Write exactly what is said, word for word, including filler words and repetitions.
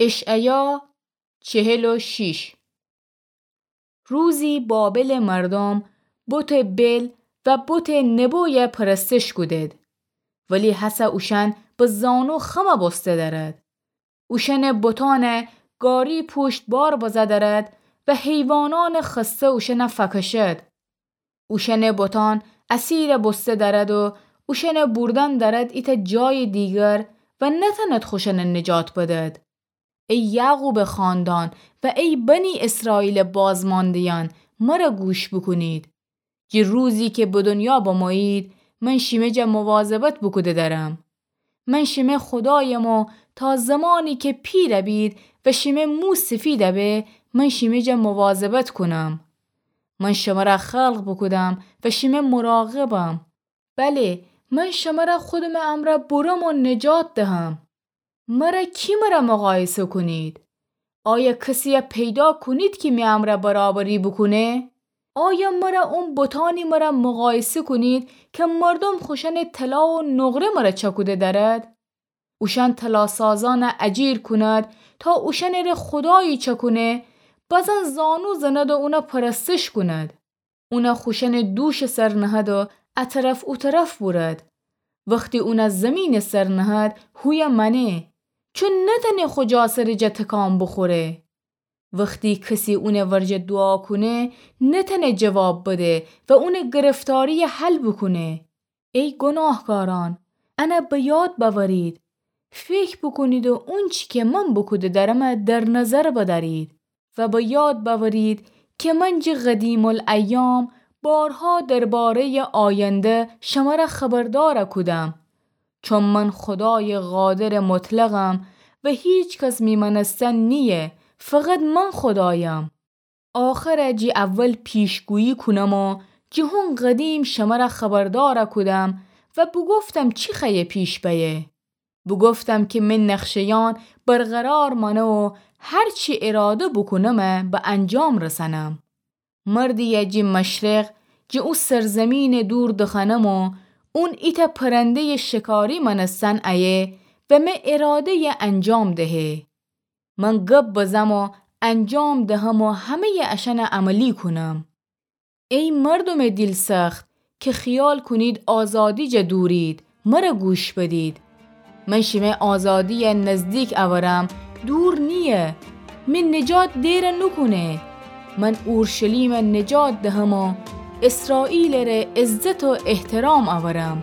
اشعیا چهل و شش. روزی بابلٚ مردوم بتٚ بل و بتٚ نبویَ پرستش کودید، ولی هسه اوشأن به زانو خمَ بوسته دأرد. اوشأنٚ بتأنَ گاری پوشت بار بزه دأرد و حیوانأنٚ خسته اوشأنَ فأکشد. اوشأنٚ بتأن اسیرَ بوسته دأرد و اوشأنَ بوردن دأرد ایتأ جایٚ دیگر و نتأند خوشأنَ نجات بدد. ای یعقوبٚ خاندان و ای بنی اسرائیلٚ بازمانده‌یأن، مرَ گوش بوکونید. جٚه روزی کی به دنیا بمویید، من شیمه جا مواظبت بوکوده دأرم. من شیمه خودایم و تا زمانی کی پیرَ بید و شیمه مو سفیدَ به، من شیمه جا مواظبت کونم. من شمرَ خلق بوکودم و شیمه مراقبم. بله، من شمرَ خودمٚ امرأ برم و نجات دهم. مرَ کی مرَ مقایسه کونید؟ آیا کسیَ پیدا کونید کی می امرأ برابری بوکونه؟ آیا مرَ اون بتأنی مرَ مقایسه کونید کی مردوم خوشأنٚ طلا و نقره مرَ چأکوده دأرد؟ اوشأن طلاسازأنَ اجیر کونید تا اوشأنٚره خودایی چأکونه، بزن زانو زند و اونَ پرستش کونید. اونَ خوشأنٚ دوشٚ سر نهد و ا طرف او طرف بورد. وختی اونَ زیمینٚ سر نهد، هویه مأنه، چون نتأنه خو جا سرٚ جا تکان بوخوره. وختی کسی اونٚ ورجه دوعا کونه، نتأنه جواب بده و اونٚ گرفتاریَ حل بوکونه. ای گوناهکارأن، انَ به یاد بأورید. فکر بوکونید و اونچی کی من بوکوده دأرمَ در نظر بدأرید و به یاد بأورید کی من جٚه قدیم‌الایام بارها درباره‌یٚ آینده شمرَ خبردارَ کودم. چون من خودایٚ قادرٚ مطلقم و هیکس می مأنستن نییه، فقط من خودایم. آخرَ جٚه اول پیشگویی کونم و جٚه هون قدیم شمرَ خبردارَ کودم و بوگفتم چی خوأیه پیش بأیه. بوگفتم کی می نقشه‌یأن برقرار مأنه و هر چی اراده بوکونمَ به انجام رسأنم. مردیَ جٚه مشرق، جٚه او سرزیمینٚ دور دخوأنم و اون ایتأ پرنده‌یٚ شکاری مأنستن ایه و می اراده‌یَ انجام دهه. من گب بزم و انجام دهم و همه‌یٚ اشأنَ عملی کونم. ای مردومٚ دیل‌سخت کی خیال کونید آزادی جا دورید، مرَ گوش بدید. من شیمه آزادیَ نزدیک اورم، دور نییه. می نجات دئرَ نوکونه. من اورشلیمَ نجات دهم و اسرائیلٚره عزت و احترام اورم.